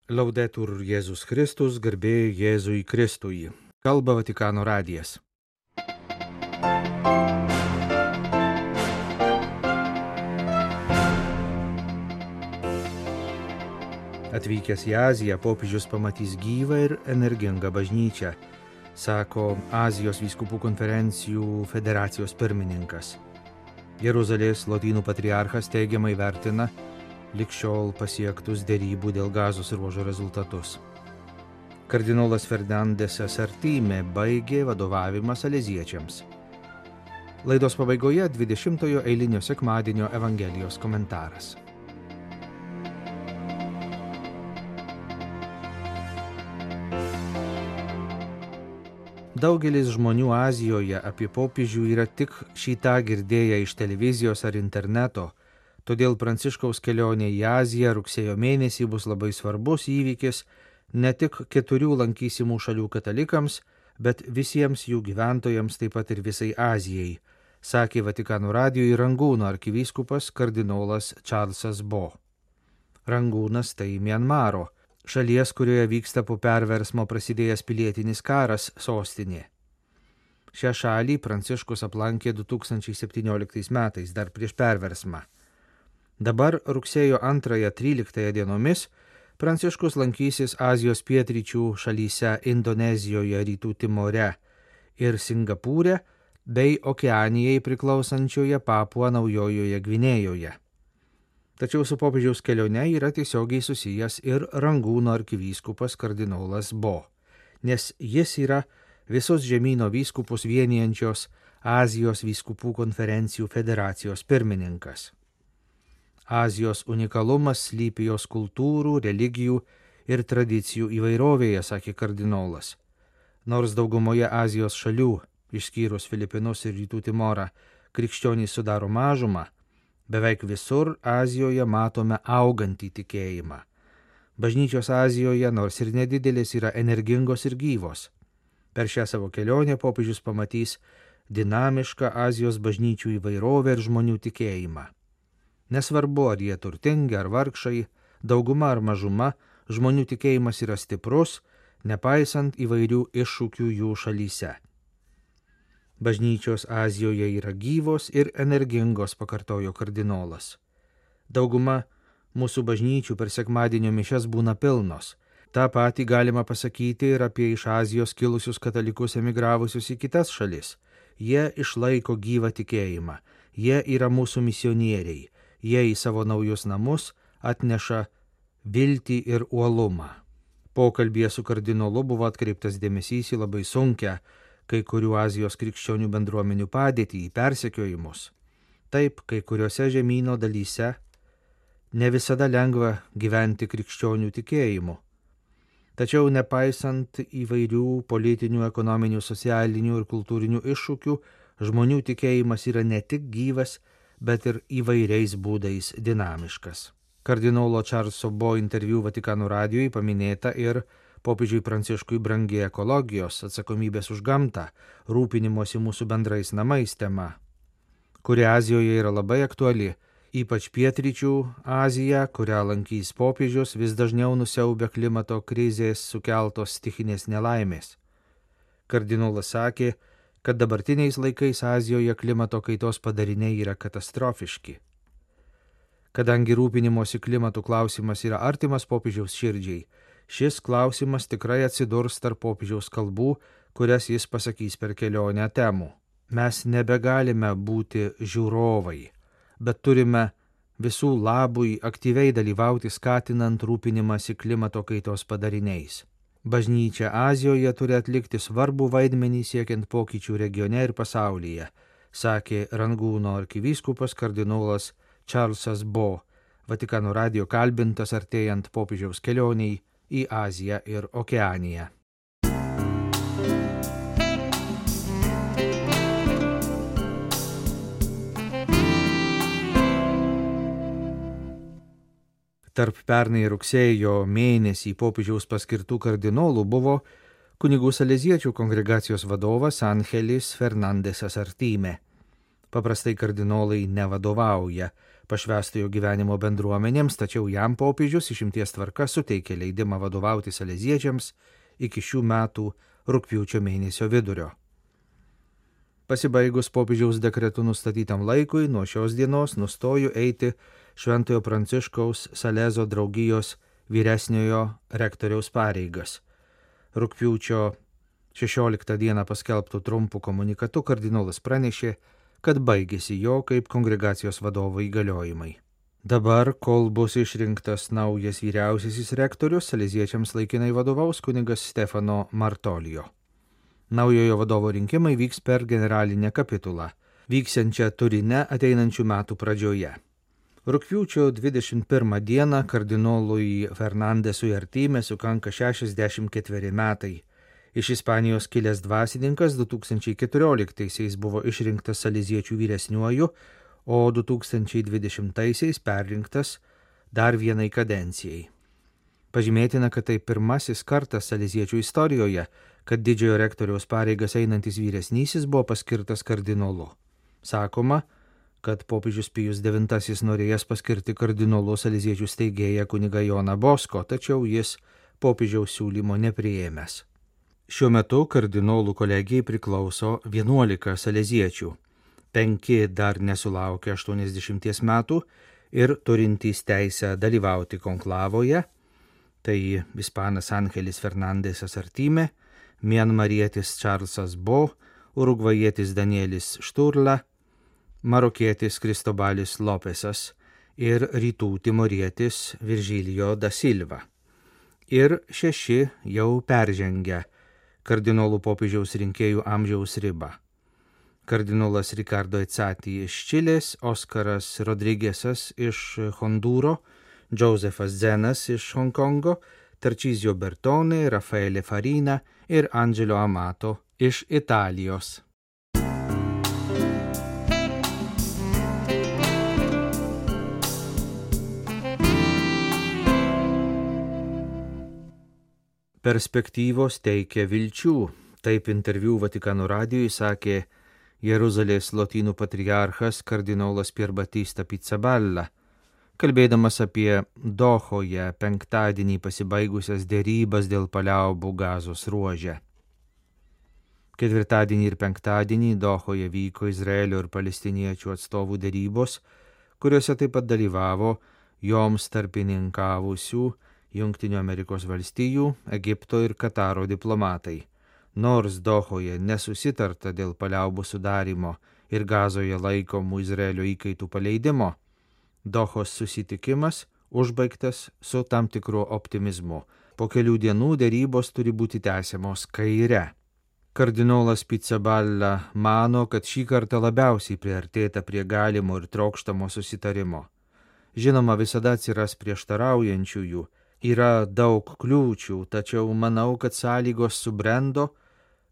Laudetur Jėzus Kristus, garbė Jėzui Kristui. Kalba Vatikano radijas. Atvykęs į Aziją, popiežius pamatys gyvą ir energingą bažnyčią, sako Azijos vyskupų konferencijų federacijos pirmininkas. Jeruzalės lotynų patriarchas teigiamai vertina lig šiol pasiektus derybų dėl Gazos ruožo rezultatus. Kardinolas Fernandesas Artime baigė vadovavimą saleziečiams. Laidos pabaigoje 20-ojo eilinio sekmadienio Evangelijos komentaras. Daugelis žmonių Azijoje apie popiežių yra tik šį tą girdėję iš televizijos ar interneto, todėl Pranciškaus kelionė į Aziją rugsėjo mėnesį bus labai svarbus įvykis ne tik 4 lankysimų šalių katalikams, bet visiems jų gyventojams, taip pat ir visai Azijai, sakė Vatikano radijui Rangūno arkivyskupas kardinolas Čarlzas Bo. Rangūnas tai Mianmaro, šalies, kurioje vyksta po perversmo prasidėjęs pilietinis karas, sostinė. Šią šalį Pranciškus aplankė 2017 metais, dar prieš perversmą. Dabar rugsėjo 2-13 dienomis Pranciškus lankysis Azijos pietryčių šalyse Indonezijoje, Rytų Timore ir Singapūre bei Okeanijai priklausančioje Papua Naujojoje Gvinėjoje. Tačiau su popiežiaus kelione yra tiesiogiai susijęs ir Rangūno arkivyskupas kardinolas Bo, nes jis yra visos žemyno vyskupus vienijančios Azijos vyskupų konferencijų federacijos pirmininkas. Azijos unikalumas slypi jos kultūrų, religijų ir tradicijų įvairovėje, sakė kardinolas. Nors daugumoje Azijos šalių, išskyrus Filipinus ir Rytų Timorą, krikščionys sudaro mažumą, beveik visur Azijoje matome augantį tikėjimą. Bažnyčios Azijoje, nors ir nedidelės, yra energingos ir gyvos. Per šią savo kelionę popiežius pamatys dinamišką Azijos bažnyčių įvairovę ir žmonių tikėjimą. Nesvarbu, ar jie turtingi ar vargšai, dauguma ar mažuma, žmonių tikėjimas yra stiprus, nepaisant įvairių iššūkių jų šalyse. Bažnyčios Azijoje yra gyvos ir energingos, pakartojo kardinolas. Dauguma mūsų bažnyčių per sekmadienio mišias būna pilnos. Ta patį galima pasakyti ir apie iš Azijos kilusius katalikus emigravusius į kitas šalis. Jie išlaiko gyvą tikėjimą, jie yra mūsų misionieriai. Jie į savo naujus namus atneša viltį ir uolumą. Pokalbyje su kardinolu buvo atkreiptas dėmesys į labai sunkią kai kurių Azijos krikščionių bendruomenių padėtį, į persekiojimus. Taip, kai kuriuose žemyno dalyse ne visada lengva gyventi krikščionių tikėjimu. Tačiau nepaisant įvairių politinių, ekonominių, socialinių ir kultūrinių iššūkių, žmonių tikėjimas yra ne tik gyvas, bet ir įvairiais būdais dinamiškas. Kardinolo Čarlzo Bo interviu Vatikano radijui paminėta ir popiežiui Pranciškui brangi ekologijos, atsakomybės už gamtą, rūpinimosi mūsų bendrais namais tema, kuri Azijoje yra labai aktuali, ypač pietryčių Azija, kurią lankys popiežius, vis dažniau nusiaubia klimato krizės sukeltos stichinės nelaimės. Kardinolas sakė, kad dabartiniais laikais Azijoje klimato kaitos padariniai yra katastrofiški. Kadangi rūpinimosi klimatų klausimas yra artimas popiežiaus širdžiai, šis klausimas tikrai atsidurs tarp popiežiaus kalbų, kurias jis pasakys per kelionę temų. Mes nebegalime būti žiūrovai, bet turime visų labui aktyviai dalyvauti skatinant rūpinimąsi klimato kaitos padariniais. Bažnyčia Azijoje turi atlikti svarbų vaidmenį siekiant pokyčių regione ir pasaulyje, sakė Rangūno arkivyskupas kardinolas Čarlzas Bo, Vatikano radijo kalbintas artėjant popiežiaus kelioniai į Aziją ir Okeaniją. Tarp pernai rugsėjo mėnesį popiežiaus paskirtų kardinolų buvo kunigų saleziečių kongregacijos vadovas Angelis Fernandesas Artime. Paprastai kardinolai nevadovauja pašvęstojo gyvenimo bendruomenėms, tačiau jam popiežius išimties tvarka suteikė leidimą vadovauti saleziečiams iki šių metų rugpjūčio mėnesio vidurio. Pasibaigus popiežiaus dekretu nustatytam laikui, nuo šios dienos nustoju eiti Šventojo Pranciškaus Salezo draugijos vyresniojo rektoriaus pareigas. Rugpjūčio 16 dieną paskelbtų trumpų komunikatu kardinolas pranešė, kad baigėsi jo kaip kongregacijos vadovo įgaliojimai. Dabar, kol bus išrinktas naujas vyriausiasis rektorius, saleziečiams laikinai vadovaus kunigas Stefano Martolijo. Naujojo vadovo rinkimai vyks per generalinę kapitulą, vyksiančią Turine ateinančių metų pradžioje. Rugpjūčio 21 dieną kardinolui Fernandesui Artime sukanka 64 metai. Iš Ispanijos kilęs dvasininkas 2014-aisiais buvo išrinktas saleziečių vyresniuoju, o 2020-aisiais perrinktas dar vienai kadencijai. Pažymėtina, kad tai pirmasis kartas saleziečių istorijoje, kad didžiojo rektoriaus pareigas einantis vyresnysis buvo paskirtas kardinolu. Sakoma, kad popiežius Pijus IX norėjęs paskirti kardinolu saleziečių steigėją kunigą Joną Bosko, tačiau jis popiežiaus siūlymo nepriėmęs. Šiuo metu kardinolų kolegijai priklauso 11 saleziečių, 5 dar nesulaukia 80 metų ir turintys teisę dalyvauti konklavoje, tai ispanas Angelis Fernandesas Artime, mianmarietis Čarlzas Bo, urugvajietis Danielis Šturla, marokietis Kristobalis Lopesas ir rytų timorietis Virgilio da Silva. Ir 6 jau peržengę kardinolų popiežiaus rinkėjų amžiaus ribą. Kardinolas Ricardo Ezzati iš Čilės, Oskaras Rodrigesas iš Hondūro, Josefas Zenas iš Hongkongo, Tarcísio Bertone, Rafaele Farina ir Angelo Amato iš Italijos. Perspektyvos teikia vilčių, taip interviu Vatikano radijui sakė Jeruzalės lotynų patriarchas kardinolas Pierbatista Pizzaballa, kalbėdamas apie Dohoje penktadienį pasibaigusias derybas dėl paliaubų Gazos ruože. Ketvirtadienį ir penktadienį Dohoje vyko Izraelio ir palestiniečių atstovų derybos, kuriuose taip pat dalyvavo joms tarpininkavusių Jungtinių Amerikos valstijų, Egipto ir Kataro diplomatai. Nors Dohoje nesusitarta dėl paliaubų sudarimo ir Gazoje laikomų Izraelio įkaitų paleidimo, Dohos susitikimas užbaigtas su tam tikru optimizmu. Po kelių dienų derybos turi būti tęsiamos kaire. Kardinolas Pizzaballa mano, kad šį kartą labiausiai priartėta prie galimo ir trokštamo susitarimo. Žinoma, visada atsiras prieštaraujančiųjų, yra daug kliūčių, tačiau manau, kad sąlygos subrendo,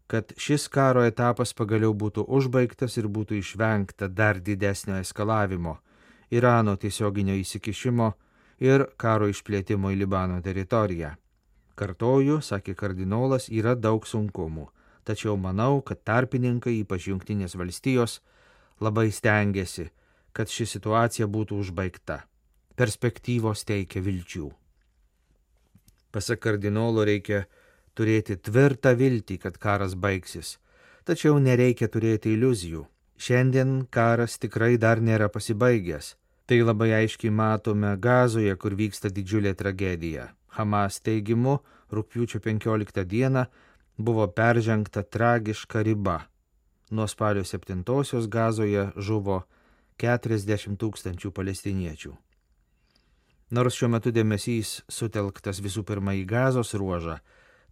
kad šis karo etapas pagaliau būtų užbaigtas ir būtų išvengta dar didesnio eskalavimo, Irano tiesioginio įsikišimo ir karo išplėtimo į Libano teritoriją. Kartoju, sakė kardinolas, yra daug sunkumų, tačiau manau, kad tarpininkai, ypač Jungtinės valstijos, labai stengiasi, kad ši situacija būtų užbaigta. Perspektyvos teikia vilčių. Pasak kardinolo reikia turėti tvirtą viltį, kad karas baigsis, tačiau nereikia turėti iliuzijų. Šiandien karas tikrai dar nėra pasibaigęs. Tai labai aiškiai matome Gazoje, kur vyksta didžiulė tragedija. Hamas teigimu, rugpjūčio 15 dieną buvo peržengta tragiška riba. Nuo spalio 7-osios Gazoje žuvo 40 000 palestiniečių. Nors šiuo metu dėmesys sutelktas visų pirma į Gazos ruožą,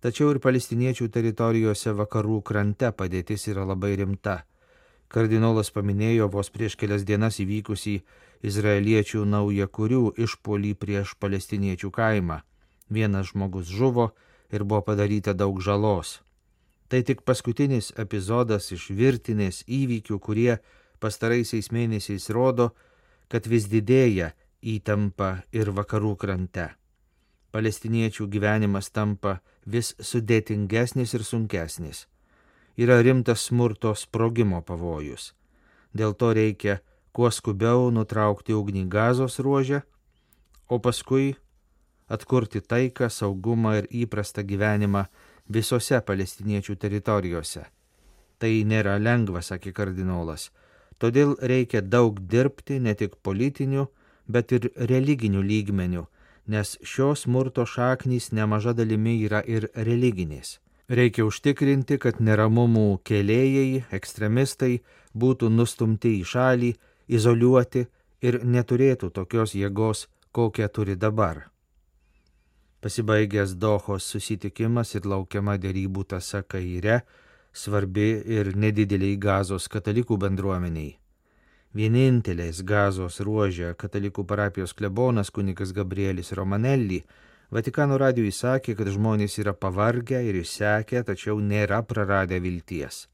tačiau ir palestiniečių teritorijose vakarų krante padėtis yra labai rimta. Kardinolas paminėjo vos prieš kelias dienas įvykusį izraeliečių naujakurių išpuolį prieš palestiniečių kaimą. Vienas žmogus žuvo ir buvo padaryta daug žalos. Tai tik paskutinis epizodas iš virtinės įvykių, kurie pastaraisiais mėnesiais rodo, kad vis didėja įtampa ir vakarų krante. Palestiniečių gyvenimas tampa vis sudėtingesnis ir sunkesnis. Yra rimtas smurto sprogimo pavojus. Dėl to reikia kuo skubiau nutraukti ugnį Gazos ruože, o paskui atkurti taiką, saugumą ir įprastą gyvenimą visose palestiniečių teritorijose. Tai nėra lengva, sakė kardinolas. Todėl reikia daug dirbti ne tik politiniu, bet ir religiniu lygmeniu, nes šios smurto šaknys nemaža dalimi yra ir religinės. Reikia užtikrinti, kad neramumų kėlėjai, ekstremistai būtų nustumti į šalį, izoliuoti ir neturėtų tokios jėgos, kokią turi dabar. Pasibaigęs Dohos susitikimas ir laukiama derybų tąsa Kaire, svarbi ir nedideliai Gazos katalikų bendruomeniai. Vienintelės Gazos ruože katalikų parapijos klebonas kunigas Gabrielis Romanelli Vatikano radijui sakė, kad žmonės yra pavargę ir išsekę, tačiau nėra praradę vilties.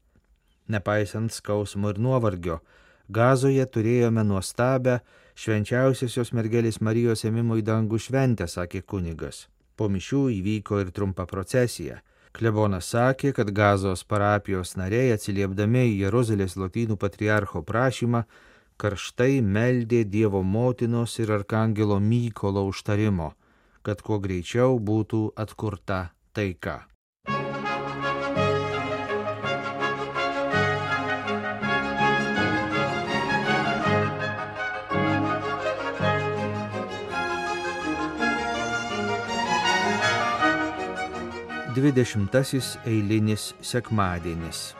Nepaisant skausmo ir nuovargio, Gazoje turėjome nuostabę švenčiausiosios mergelės Marijos ėmimo į dangų šventę, sakė kunigas. Po mišių įvyko ir trumpa procesija. Klebonas sakė, kad Gazos parapijos nariai atsiliepdami į Jeruzalės lotynų patriarcho prašymą karštai meldė Dievo motinos ir arkangelo Mykolo užtarimo, kad kuo greičiau būtų atkurta taika. Dvidešimtasis eilinis sekmadienis.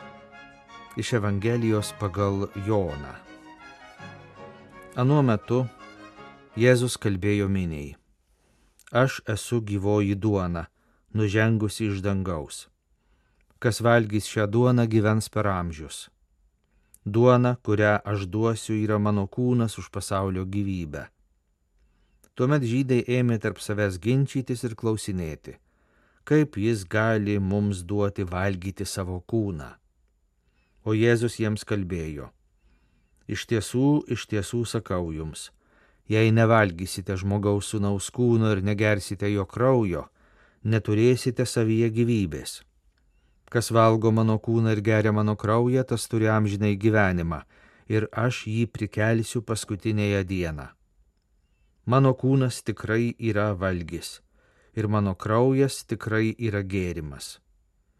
Iš Evangelijos pagal Joną. Anuo metu Jėzus kalbėjo miniai: Aš esu gyvoji duona, nužengusi iš dangaus. Kas valgys šią duoną, gyvens per amžius. Duona, kurią aš duosiu, yra mano kūnas už pasaulio gyvybę. Tuomet žydai ėmė tarp savęs ginčytis ir klausinėti, kaip jis gali mums duoti valgyti savo kūną. O Jėzus jiems kalbėjo: iš tiesų sakau jums, jei nevalgysite žmogaus sūnaus kūno ir negersite jo kraujo, neturėsite savyje gyvybės. Kas valgo mano kūną ir geria mano kraują, tas turi amžinai gyvenimą, ir aš jį prikelsiu paskutinėje dieną. Mano kūnas tikrai yra valgis, ir mano kraujas tikrai yra gėrimas.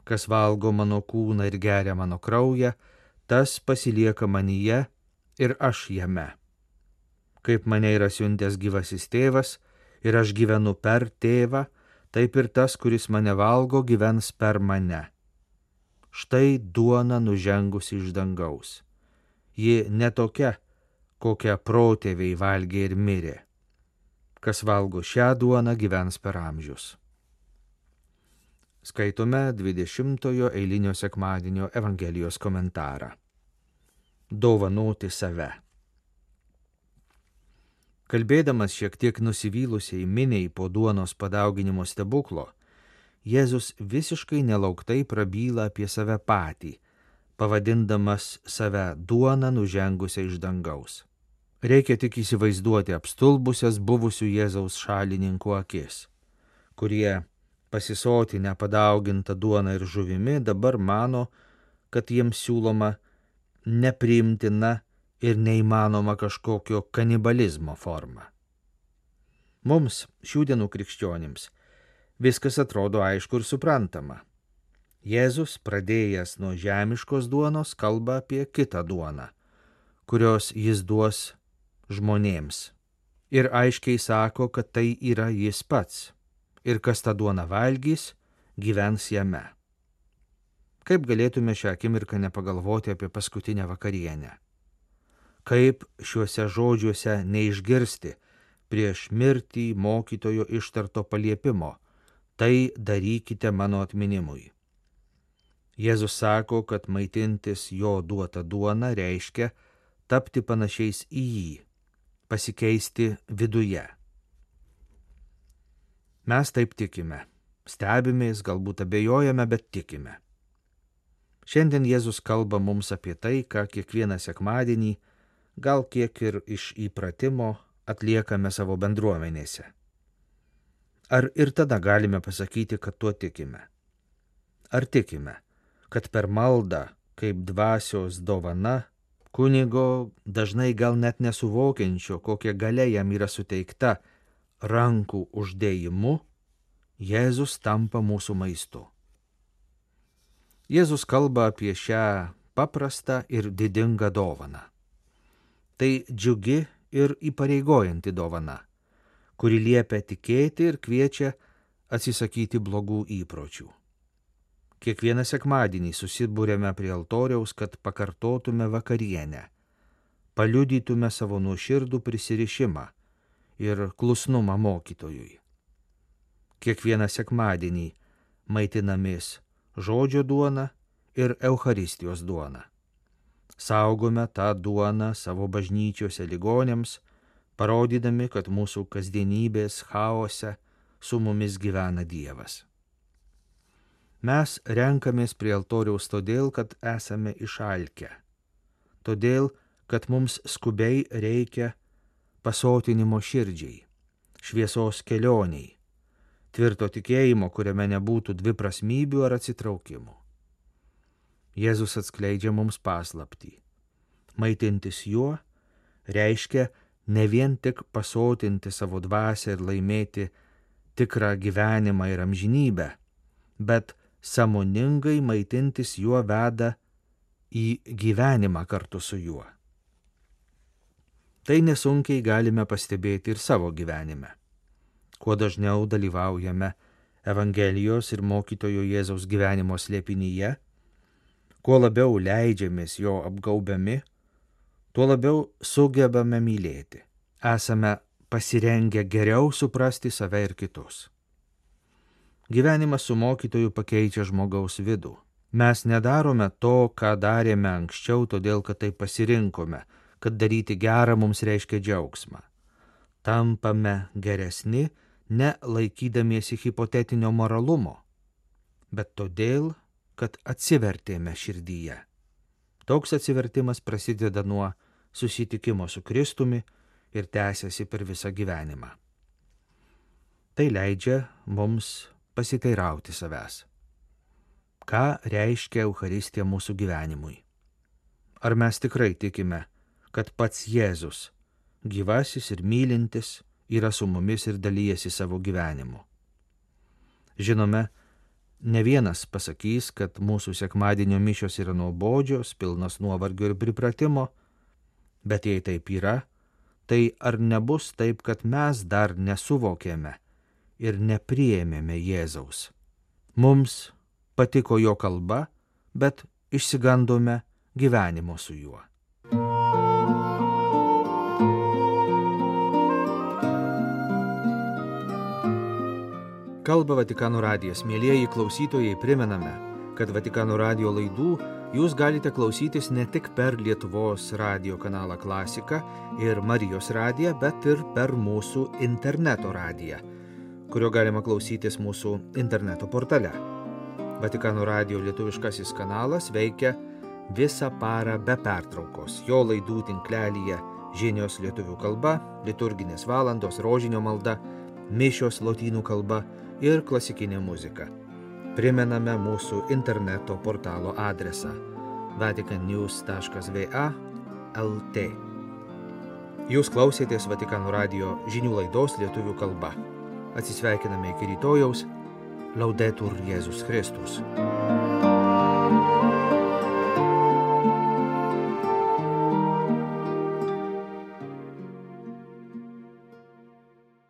Kas valgo mano kūną ir geria mano kraują, tas pasilieka manyje ir aš jame. Kaip mane yra siuntęs gyvasis tėvas ir aš gyvenu per tėvą, taip ir tas, kuris mane valgo, gyvens per mane. Štai duona nužengusi iš dangaus. Ji ne tokia, kokią protėviai valgė ir mirė. Kas valgo šią duoną, gyvens per amžius. Skaitome 20-ojo eilinio sekmadienio Evangelijos komentarą. Dovanoti save. Kalbėdamas šiek tiek nusivylusiai miniai po duonos padauginimo stebuklo, Jėzus visiškai nelauktai prabyla apie save patį, pavadindamas save duoną nužengusią iš dangaus. Reikia tik įsivaizduoti apstulbusias buvusių Jėzaus šalininkų akis, kurie pasisotinę padaugintą duoną ir žuvimi dabar mano, kad jiems siūloma nepriimtina ir neįmanoma kažkokio kanibalizmo forma. Mums, šių dienų krikščionims, viskas atrodo aišku ir suprantama. Jėzus, pradėjęs nuo žemiškos duonos, kalba apie kitą duoną, kurios jis duos žmonėms. Ir aiškiai sako, kad tai yra jis pats. Ir kas tą duoną valgys, gyvens jame. Kaip galėtume šią akimirką nepagalvoti apie paskutinę vakarienę? Kaip šiuose žodžiuose neišgirsti prieš mirtį mokytojo ištarto paliepimo: tai darykite mano atminimui. Jėzus sako, kad maitintis jo duota duona reiškia tapti panašiais į jį, pasikeisti viduje. Mes taip tikime, stebimės, galbūt abejojame, bet tikime. Šiandien Jėzus kalba mums apie tai, ką kiekvieną sekmadienį, gal kiek ir iš įpratimo, atliekame savo bendruomenėse. Ar ir tada galime pasakyti, kad tuo tikime? Ar tikime, kad per maldą, kaip dvasios dovana, kunigo dažnai gal net nesuvokiančio, kokia galia jam yra suteikta rankų uždėjimu, Jėzus tampa mūsų maistu. Jėzus kalba apie šią paprastą ir didingą dovaną. Tai džiugi ir įpareigojanti dovana, kuri liepia tikėti ir kviečia atsisakyti blogų įpročių. Kiekvieną sekmadienį susibūrėme prie altoriaus, kad pakartotume vakarienę, paliudytume savo nuoširdų prisirišimą ir klusnumą mokytojui. Kiekvieną sekmadienį maitinamės žodžio duona ir Eucharistijos duona. Saugome tą duoną savo bažnyčiose ligonėms, parodydami, kad mūsų kasdienybės chaose su mumis gyvena Dievas. Mes renkamės prie altoriaus todėl, kad esame išalkę, todėl, kad mums skubiai reikia pasotinimo širdžiai, šviesos kelioniai, tvirto tikėjimo, kuriame nebūtų dviprasmybių ar atsitraukimų. Jėzus atskleidžia mums paslaptį. Maitintis juo reiškia ne vien tik pasotinti savo dvasią ir laimėti tikrą gyvenimą ir amžinybę, bet sąmoningai maitintis juo veda į gyvenimą kartu su juo. Tai nesunkiai galime pastebėti ir savo gyvenime. Kuo dažniau dalyvaujame Evangelijos ir mokytojo Jėzaus gyvenimo slėpinyje, kuo labiau leidžiamės jo apgaubiami, tuo labiau sugebame mylėti. Esame pasirengę geriau suprasti save ir kitus. Gyvenimas su mokytoju pakeičia žmogaus vidų. Mes nedarome to, ką darėme anksčiau, todėl kad tai pasirinkome, kad daryti gerą mums reiškia džiaugsmą. Tampame geresni, ne laikydamiesi hipotetinio moralumo, bet todėl, kad atsivertėme širdyje. Toks atsivertimas prasideda nuo susitikimo su Kristumi ir tęsiasi per visą gyvenimą. Tai leidžia mums pasiteirauti savęs. Ką reiškia Eucharistija mūsų gyvenimui? Ar mes tikrai tikime, kad pats Jėzus, gyvasis ir mylintis, yra su mumis ir dalyjasi savo gyvenimu? Žinome, ne vienas pasakys, kad mūsų sekmadienio mišios yra nuobodžios, pilnos nuovargio ir pripratimo, bet jei taip yra, tai ar nebus taip, kad mes dar nesuvokėme ir nepriėmėme Jėzaus? Mums patiko jo kalba, bet išsigandome gyvenimo su juo. Kalba Vatikano radijas. Mielieji klausytojai, primename, kad Vatikano radijo laidų jūs galite klausytis ne tik per Lietuvos radijo kanalą Klasika ir Marijos radiją, bet ir per mūsų interneto radiją, kurio galima klausytis mūsų interneto portale. Vatikano radijo lietuviškasis kanalas veikia visą parą be pertraukos. Jo laidų tinklelyje žinios lietuvių kalba, liturginės valandos, rožinio malda, mišios lotynų kalba ir klasikinė muzika. Primename mūsų interneto portalo adresą vaticannews.va/lt. Jūs klausėtės Vatikano radijo žinių laidos lietuvių kalba. Atsisveikiname iki rytojaus. Laudetur Jėzus Kristus.